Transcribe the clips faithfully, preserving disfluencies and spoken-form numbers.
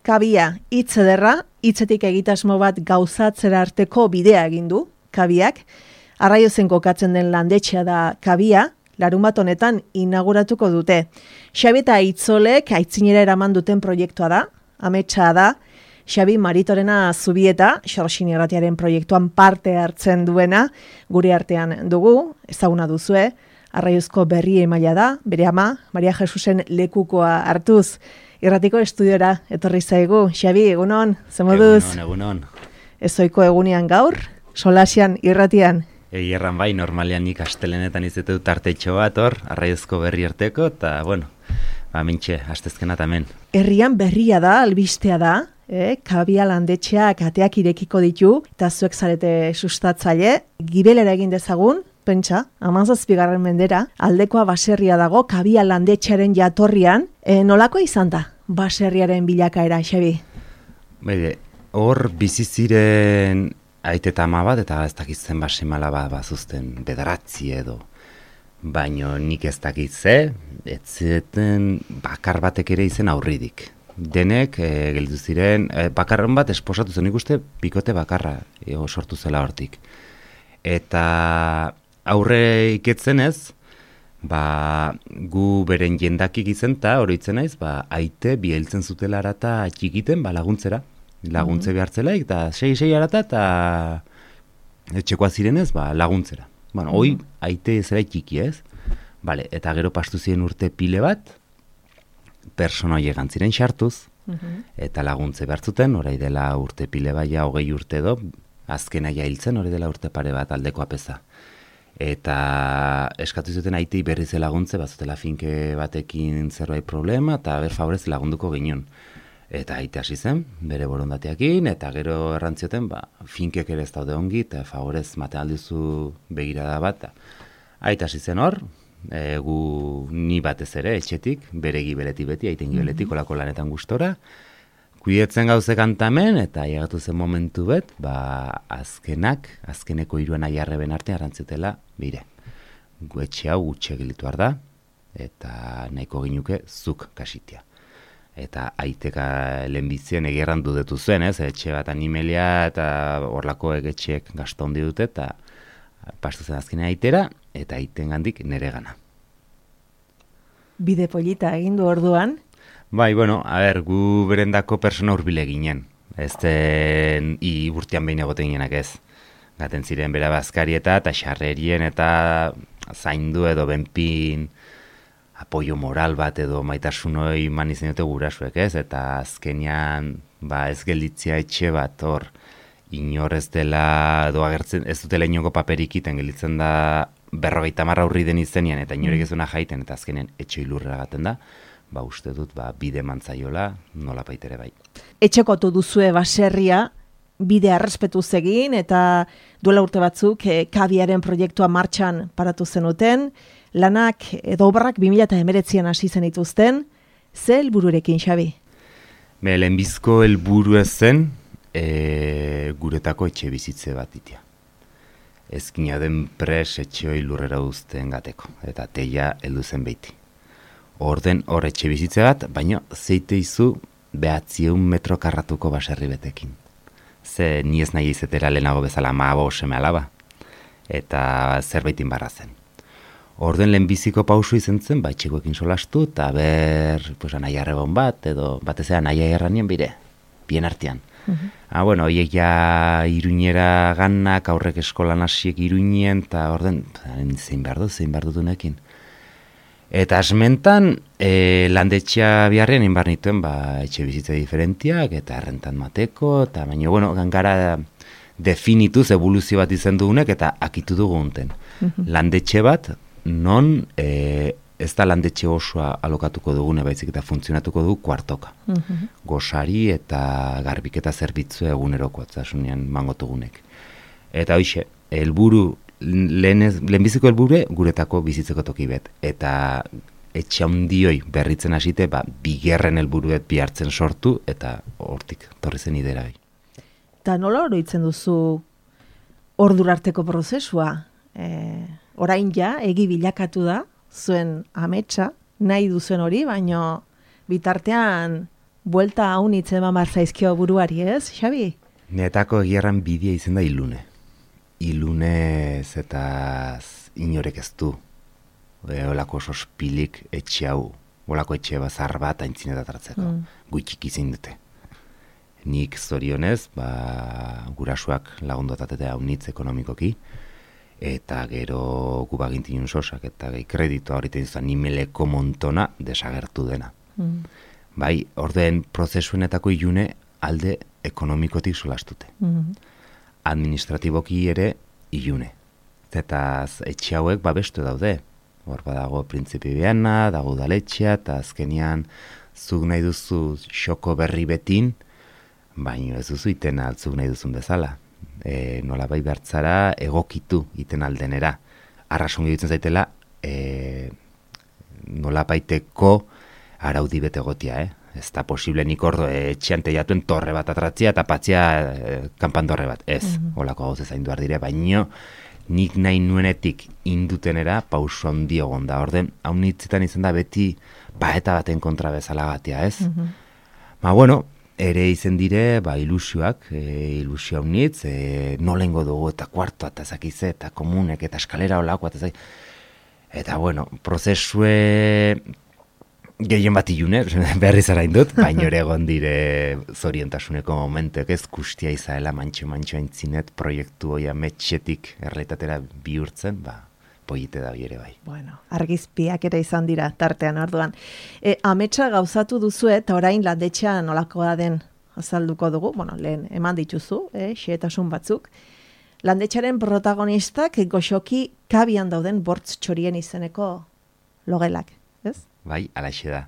Kabia, hitz ederra, hitzetik egitasmo bat gauzatzera arteko bidea egin du, Kabiak. Arraiozen kokatzen den landetxea da Kabia, larun bat honetan inauguratuko dute. Xabi eta Itzolek aitzinera eraman duten proiektua da, ametsa da. Xabi Maritorena Zubieta, Xorxin Irratiaren proiektuan parte hartzen duena, gure artean dugu, ezaguna duzue, Arraiozko berri emaila da, bere ama, Maria Jesusen lekukoa hartuz, Irratiko estudiora etorri zaigu. Xabi, egunon, ze moduz? Egunon, egunon. Ezoiko egunean gaur, solasian irratian. Egerran bai, normalean nik astelenetan izetu tartetxo bat hor, Arraiozko berri arteko, eta, bueno, ba, mintxe, astezkena tamen. Herrian berria da, albistea da, eh? Kabia landetxeak ateak irekiko ditu, eta zuek zarete sustatzaile, gibelera egin dezagun, pentsa, hamazazpigarren mendera, aldekoa baserria dago, Kabia landetxearen jatorrian, e, nolako izan da baserriaren bilakaera, Xabi? Bede, hor bizi ziren aite eta ama bat, eta ez dakitzen basemala bat bazuzten bederatzi edo. Baino nik ez dakitze, ez zeten bakar batek ere izen aurridik. Denek e, gelditu ziren, e, bakarren bat esposatu zen, nik uste bikote bakarra e, sortu zela hortik. Eta aurre iketzen ez, ba, gu beren jendakik izen eta horitzen naiz, ba, aite biheltzen zutela arata txikiten, ba, laguntzera. Laguntze mm-hmm. behartzelaik, eta sei-sei arata, eta etxekoa zirenez, ba, laguntzera. Bueno, mm-hmm. hoi, aite zera txiki ez. Vale, eta gero pastu ziren urte pile bat, personoie gantziren sartuz, mm-hmm. eta laguntze behartzuten, orai dela urte pile baia, hogei urte edo, azkena hiltzen, hori dela urte pare bat aldeko apeza. Eta eskatu zuten aitei berriz laguntze, bazutela finke batekin zerbait problema, eta ber favorez lagunduko ginen. Eta aite hasi zen, bere borondateakin, eta gero errantzioten, ba, finkek ere ez daude ongi, eta favorez mate alduzu begirada bat. Aite hasi zen hor, e, gu ni batez ere, etxetik, bere gibeletik beti, aiten gibeletik, olako lanetan gustora, kuidetzen gauze kantamen, eta llegatu zen momentu bet, ba, azkenak, azkeneko hiruan aiarreben arte arrantzutela, bire, gu etxe hau gutxe gilitu da, eta nahiko ginuke zuk kasitia. Eta aiteka lehenbizien egerran dudetu zuen, ez, etxe bat animelia, eta horlako egetxeek gazta hondi dute, eta pastu zen azkenen aitera, eta aiten gandik nere gana. Bide polita egindu orduan? Bai, bueno, a ber, gu berendako persona urbile ginen. Ez den, i urtean behin egoten ginenak ez. Gaten ziren bera bazkarieta eta xarrerien eta zaindu edo benpin apoio moral bat edo maitasunoi man izan dute gurasuek ez. Eta azkenean, ba, ez gelditzea etxe bat hor, inor ez dela, edo agertzen, ez dutela inongo paperik iten, gelditzen da berrogeita marra urri den izenean, eta inorek ez duena jaiten, eta azkenean etxe ilurrera gaten da. Ba, uste dut, ba, bide mantzaiola, nola baitere bai. Etxekotu duzue baserria, bide arrespetuz egin, eta duela urte batzuk, e, Kabiaren proiektua martxan paratu zenuten, lanak edo obrak bi mila hemeretzian hasi zen dituzten, ze helbururekin, Xabi? Be, lehenbizko helburu ez zen, e, guretako etxe bizitze bat itia. Ezkina den pres etxeoi lurrera uzten gateko, eta teia heldu zen beiti. Orden hor etxe bizitze bat, baina zeite izu behatzieun metro karratuko baserri betekin. Ze ni ez nahi izetera lehenago bezala maabo seme alaba, eta zerbaitin barra zen. Orden lehenbiziko pausu izan zen, ba, etxekoekin solastu, eta ber, pues, nahi arrebon bat, edo batez ea nahi erranien bire, bien artean. Uh-huh. Ah, bueno, oiek ja iruñera ganak, aurrek eskolan hasiek iruñen, eta orden, zein behar du, zein behar dutunekin. Eta asmentan, e, landetxea biharrean inbar nituen, ba, etxe bizitze diferentiak, eta errentan mateko, eta baina, bueno, gangara definituz evoluzio bat izan dugunek, eta akitu dugu unten. Uh-huh. Landetxe bat, non e, ez da landetxe osoa alokatuko dugune, baizik eta funtzionatuko dugu kuartoka. Uh-huh. Gosari eta garbiketa zerbitzu eguneroko, atzasunean mangotugunek. Eta hoxe, helburu, lehenbiziko helbure guretako bizitzeko toki bet. Eta etxe handioi berritzen hasite, ba, bigerren helburuet bihartzen sortu, eta hortik torri zen idera bai. Eta nola oroitzen duzu ordurarteko prozesua? E, orain ja, egi bilakatu da, zuen ametsa, nahi duzuen hori, baino bitartean buelta haun itzema marzaizkio buruari, ez, Xabi? Netako egierran bidea izen da ilune. Ilunez eta inorek ez du. E, olako sospilik etxe hau, olako etxe bazar bat aintzinetat mm. Gutxik izin dute. Nik zorionez, ba, gurasuak lagundotatete haunitz ekonomikoki, eta gero gubagintinun sosak, eta gai kreditoa horreten izan nimeleko montona desagertu dena. Mm. Bai, ordeen prozesuenetako ilune alde ekonomikotik solastute. Mm. Administratiboki ere ilune. Eta etxe hauek babestu daude. Hor badago printzipi behana, dago udaletxea, eta azkenian zuk nahi duzu xoko berri betin, baino ez duzu iten altzuk nahi duzun bezala. E, nola bai bertzara egokitu iten aldenera. Arrasongi dutzen zaitela, e, nola baiteko araudi bete gotia, eh? Ez da posible nik ordo etxean teiatuen torre bat atratzia eta patzia e, kanpandorre bat. Ez, mm-hmm. Olako gauz ez haindu dire, baino nik nahi nuenetik indutenera pauso handi egon da. Orden, hau nitzetan izan da beti baeta baten kontra bezala gatia, ez? Mm-hmm. Ma bueno, ere izen dire, ba, ilusioak, e, ilusio hau nitz, e, nolengo dugu eta kuartoa eta zakize, eta komunek, eta eskalera olakoa, eta zakize. Eta bueno, prozesue gehien bat ilune, berriz arain dut, baino ere egon dire zoriontasuneko momentuek ez kustia izaela mantxo-mantxo aintzinet proiektu hoia metxetik errealitatera bihurtzen, ba, poite da ere bai. Bueno, argizpiak ere izan dira tartean orduan. E, ametsa gauzatu duzu eta orain landetxean nolakoa den azalduko dugu, bueno, lehen eman dituzu, eh, xehetasun batzuk. Landetxaren protagonistak goxoki kabian dauden bortz txorien izeneko logelak, ez? Bai, alaxe da.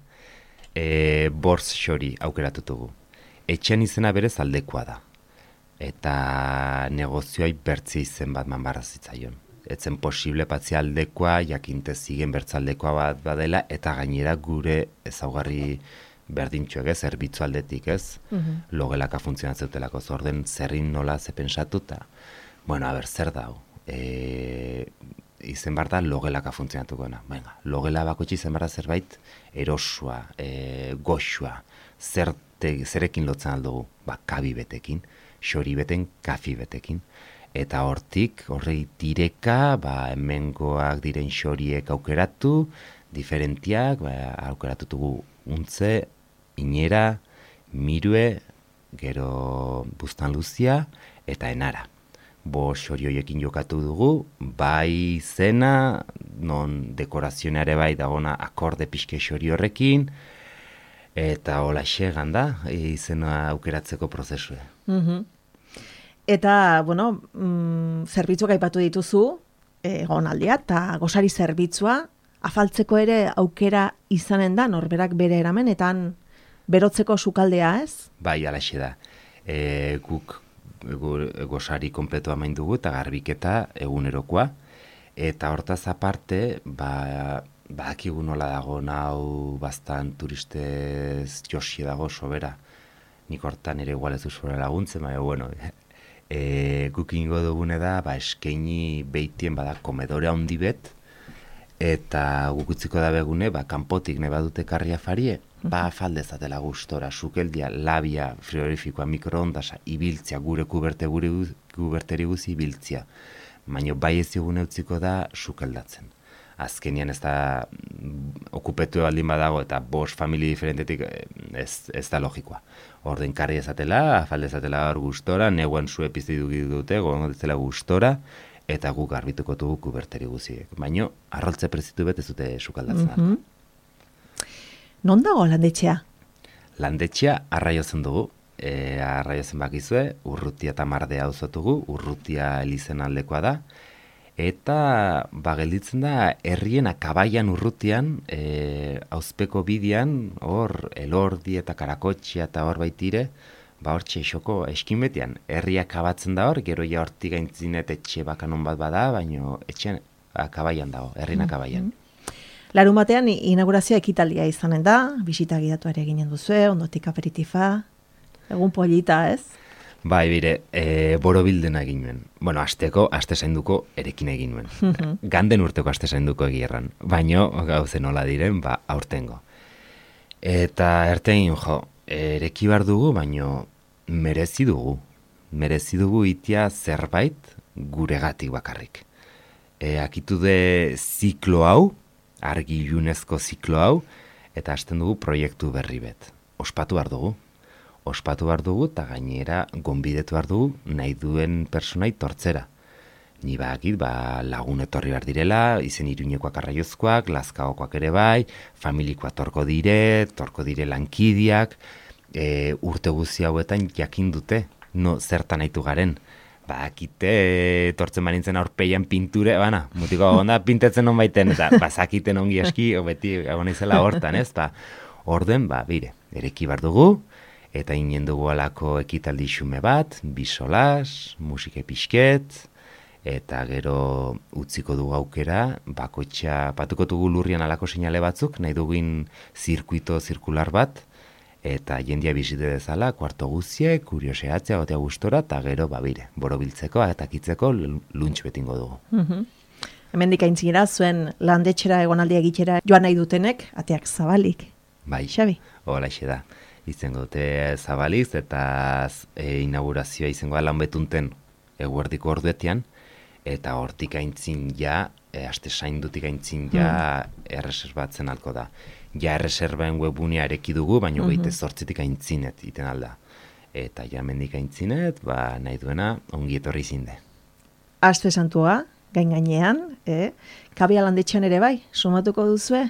E, bortz txori aukeratutugu. Etxean izena berez aldekoa da. Eta negozioai bertzi izen bat manbarra zitzaion. Etzen posible patzi aldekoa, jakinte zigen bertzaldekoa bat badela, eta gainera gure ezaugarri berdintxoek ez, zerbitzu aldetik ez, mm-hmm. Logelaka funtzionatzetelako zorden zerrin nola ze pensatu, eta, bueno, a ber, zer dau. E, izen bar da logelaka funtzionatuko dena. Venga, logela bakotxe izen bar da zerbait erosua, e, goxua, zerte, zerekin lotzen aldugu, ba, kabi betekin, xori beten, kafi betekin. Eta hortik, horrei direka, ba, hemengoak diren xoriek aukeratu, diferentiak, ba, aukeratutugu untze, inera, mirue, gero bustan luzia, eta enara. Bo xori horiekin jokatu dugu, bai zena, non dekorazioneare bai dagona akorde pixke xori horrekin, eta hola xegan da, izena aukeratzeko prozesue. Mhm. Eta, bueno, mm, zerbitzuak aipatu dituzu, egonaldia eta gosari zerbitzua, afaltzeko ere aukera izanen da, norberak bere eramenetan berotzeko sukaldea, ez? Bai, alaxe da. E, guk gosari kompleto amain dugu eta garbiketa egunerokoa. Eta hortaz aparte, ba, badakigu nola dago nau bastan turistez josi dago sobera. Nik hortan ere igual ez du sobera laguntzen, baina, bueno, E, guk ingo dugune da, ba, eskaini beitien bada komedore handi bet, eta guk utziko da begune, ba, kanpotik nahi badute karria farie, ba, faldezatela gustora, sukeldia, labia, frigorifikoa, mikroondasa, ibiltzia, gure kuberte, gure kuberteri guzi ibiltzia. Baina bai ez digune utziko da sukeldatzen. Azkenian ez da okupetu baldin badago eta bost famili diferentetik ez, ez da logikoa. Orden karri ezatela, afalde ezatela hor gustora, neguan zu epiztidu dute, gogonetzela gustora, eta guk garbituko dugu kuberteri guziek. Baina arroltze prezitu bet ez dute sukaldatzen. Mm-hmm. Non dago landetxea? Landetxea arraiozen dugu. E, arraiozen bakizue, Urrutia eta Mardea auzotugu, Urrutia elizen aldekoa da. Eta, ba, gelditzen da, herrien akabaian Urrutian, e, auzpeko bidian, hor, Elordi eta Karakotxea eta hor baitire, ba, hor txeixoko eskin betian, herria akabatzen da hor, gero ja hortik gaintzinet etxe bakanon bat bada, baino etxean akabaian dago, herrien akabaian. Larun batean, inaugurazioa ekitaldia izanen da, bisita gidatu ere ginen duzue, ondotik aperitifa, egun polita, ez? Bai, bire, e, borobildena egin nuen. Bueno, asteko, aste zainduko erekin egin nuen. Mm-hmm. Ganden urteko aste zainduko egierran. Baino, gauzen nola diren, ba, aurtengo. Eta erten jo, ereki behar dugu, baino merezi dugu. Merezi dugu itia zerbait guregatik bakarrik. E, akitu de ziklo hau, argi ilunezko ziklo hau, eta hasten dugu proiektu berri bet. Ospatu behar dugu. Ospatu behar dugu, eta gainera gonbidetu behar dugu nahi duen personai tortzera. Ni bakit, ba, lagun etorri behar direla, izen Iruñekoak arraiozkoak, Lazkaokoak ere bai, familikoa torko dire, torko dire lankidiak, e, urte guzi hauetan jakin dute, no, zertan nahitu garen. Ba, akite, tortzen banintzen aurpeian pinture, bana, mutiko onda pintetzen non baiten, eta bazakiten ongi eski, beti egon izela hortan, ez? Ba, orden, ba, bire, ereki behar dugu, eta inen dugu alako ekitaldi xume bat, bisolas, musike pixket, eta gero utziko dugu aukera, bakoitza, batuko dugu lurrian alako seinale batzuk, nahi dugin zirkuito zirkular bat, eta jendia bizite dezala, kuarto guzie, kurioseatzea, gotea gustora, eta gero, babire, borobiltzeko, eta kitzeko luntx betingo dugu. Mm-hmm. Hemendik aintzinera, zuen landetxera egonaldia egitera joan nahi dutenek, ateak zabalik. Bai, Xabi? Hola, da. Izango dute zabaliz, eta e, inaugurazioa izango da lan betunten eguerdiko orduetian, eta hortik aintzin ja, e, aste saindutik aintzin ja, mm. erreserbatzen alko da. Ja erreserbaen webunea ereki dugu, baina mm-hmm. goite zortzitik aintzinet iten alda. Eta ja mendik aintzinet, ba, nahi duena ongi etorri zinde. Aste santua, gain gainean, eh? Kabia landetxean ere bai, sumatuko duzue?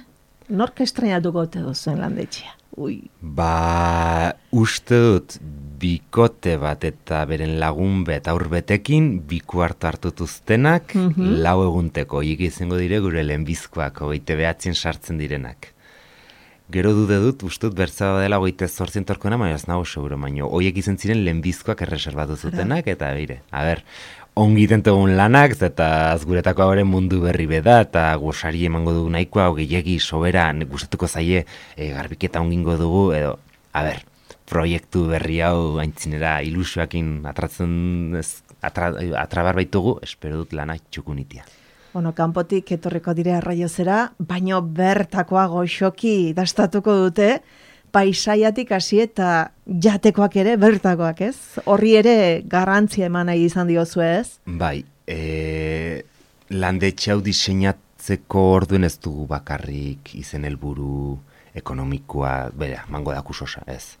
Nork estrenatuko te duzuen landetxea? Ui. Ba, uste dut, bikote bat eta beren lagun bet aurbetekin, biku hartu hartutuztenak, mm-hmm. lau egunteko, hik izango dire gure lehenbizkoak, hogeite behatzen sartzen direnak. Gero dude dut, uste dut bertza dela hogeite zortzien torkoena, baina ez nago seguro, baina hoiek izan ziren lehenbizkoak erreserbatu zutenak, eta bire, a ber, ongi tentegun lanak, eta azguretako hauren mundu berri beda, eta gozari emango dugu nahikoa, gehiagi sobera, gustatuko zaie, e, garbiketa ongingo dugu, edo, a ber, proiektu berri hau aintzinera ilusioakin atratzen, atra, atrabar baitugu, espero dut lana txukunitia. Bueno, kanpotik etorriko dire arraiozera, baino bertakoa goxoki dastatuko dute, paisaiatik hasi eta jatekoak ere bertakoak, ez? Horri ere garrantzia eman nahi izan diozu, ez? Bai, e, landetxe hau diseinatzeko orduen ez dugu bakarrik izen helburu ekonomikoa, bera, mango dakusosa, ez?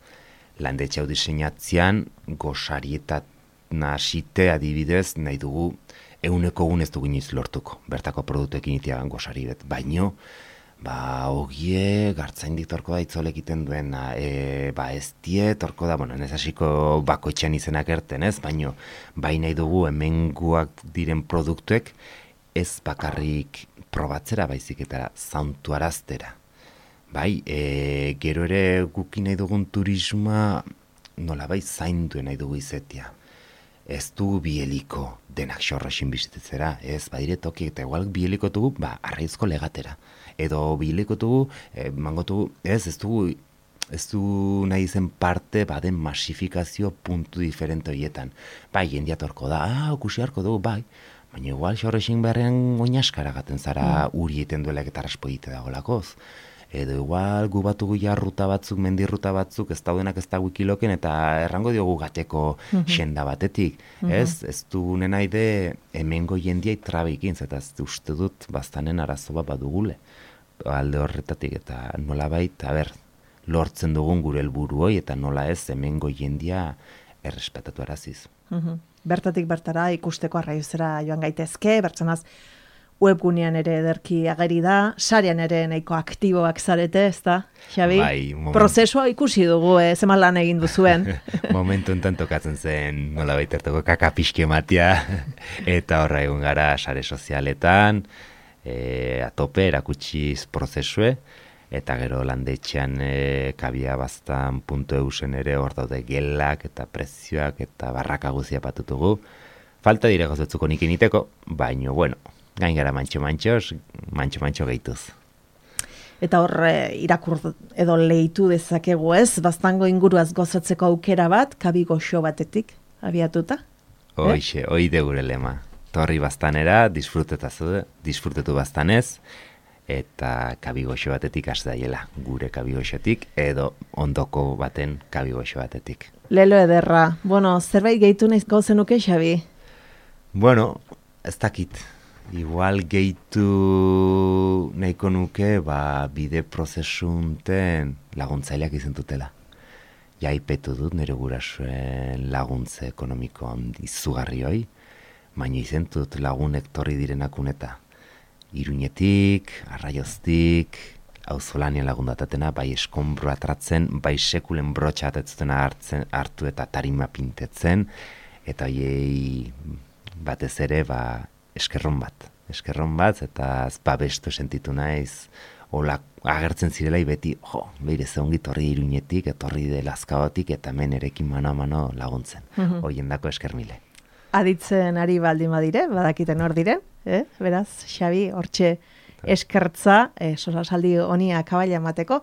Landetxe hau diseinatzean gosarietat nasite adibidez nahi dugu euneko egun ez dugu iniz lortuko, bertako produktuekin itiagan gosari bet, baino, ba, ogie, gartzaindik torko da itzolek iten duena, e, ba, ez die, torko da, bueno, nezasiko bakoitxean izenak erten ez, baino, bai nahi dugu hemenguak diren produktuek ez bakarrik probatzera baizik eta zauntu araztera. Bai, e, gero ere guki nahi dugun turismoa, nola bai, zainduen nahi dugu izetia. Ez du bieliko denak xorroxin bizitetzera, ez badire toki, eta igual bieliko dugu, ba, arraizko legatera. Edo bieliko dugu, e, mangotugu, ez, ez dugu, ez du nahi zen parte, baden masifikazio puntu diferente horietan. Bai, jendiatorko da, ah, okusi harko dugu, bai, baina igual xorroxin beharrean oinaskara gaten zara mm. uri eten duelak eta raspoite dagolakoz. Edo igual gu batugu ja ruta batzuk, mendirruta batzuk, ez daudenak ez da wikiloken, eta errango diogu gateko mm-hmm. xenda batetik. Mm-hmm. Ez, ez du nenaide hemengo jendiai trabekin, eta ez uste dut bastanen arazo bat badugule. Alde horretatik, eta nola bait, a ber, lortzen dugun gure helburu hoi, eta nola ez hemengo jendia errespetatu araziz. Mm-hmm. Bertatik bertara ikusteko arraiozera joan gaitezke, bertzenaz, webgunean ere ederki ageri da, sarean ere nahiko aktiboak zarete, ez da, Xabi? Bai, moment... Prozesua ikusi dugu, eh, zeman lan egin duzuen. Momentu enten tokatzen zen, nola baitertoko kaka pixke matia, eta horra egun gara sare sozialetan, e, atope, erakutsiz prozesue, eta gero landetxean e, kabia bastan puntu eusen ere hor daude gelak, eta prezioak, eta barraka guzia patutugu. Falta dire gozatzuko nik initeko, baino, bueno, gain gara mantxo-mantxoz, mantxo-mantxo gehituz. Eta hor irakur edo lehitu dezakegu ez, baztango inguruaz gozatzeko aukera bat, kabi goxo batetik, abiatuta? Hoixe, eh? Hoi de gure lema. Torri bastanera, disfrutetu, disfrutetu bastanez, eta kabigoxo batetik hasi daiela, gure kabigoxotik edo ondoko baten kabigoxo batetik. Lelo ederra. Bueno, zerbait gehitu nahizko zenuke, Xabi? Bueno, ez dakit. Igual gehitu nahiko nuke, ba, bide prozesunten laguntzaileak izentutela. Ja, ipetu dut nire gurasoen laguntze ekonomiko izugarri hoi, baina izentut lagunek torri direnak uneta. Iruñetik, Arraioztik, auzolanean lagundatatena, bai eskombro atratzen, bai sekulen brotxa atetzutena hartzen, hartu eta tarima pintetzen, eta hoiei batez ere, ba, eskerron bat. Eskerron bat, eta babestu sentitu naiz, hola agertzen zirelai beti, jo, behire zeongi torri Iruñetik, etorri de Lazkaotik, eta hemen erekin mano a mano laguntzen. Mhm. Hoien dako eskermile. Aditzen ari baldin badire, badakiten hor diren, eh? Beraz, Xabi, hortxe eskertza, eh, sosasaldi honi akabaila emateko.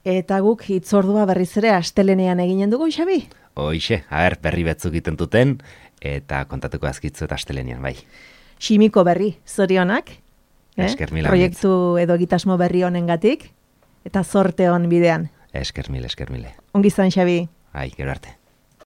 Eta guk hitzordua berriz ere astelenean eginen dugu, Xabi? Hoixe, a ber, berri betzuk egiten duten, eta kontatuko azkitzu eta astelenean, bai. Ximiko berri, zorionak. Eh? Esker mil Proiektu edo egitasmo berri honengatik, eta zorte hon bidean. Esker mil, esker mile. Ongi izan, Xabi. Ai, gero arte.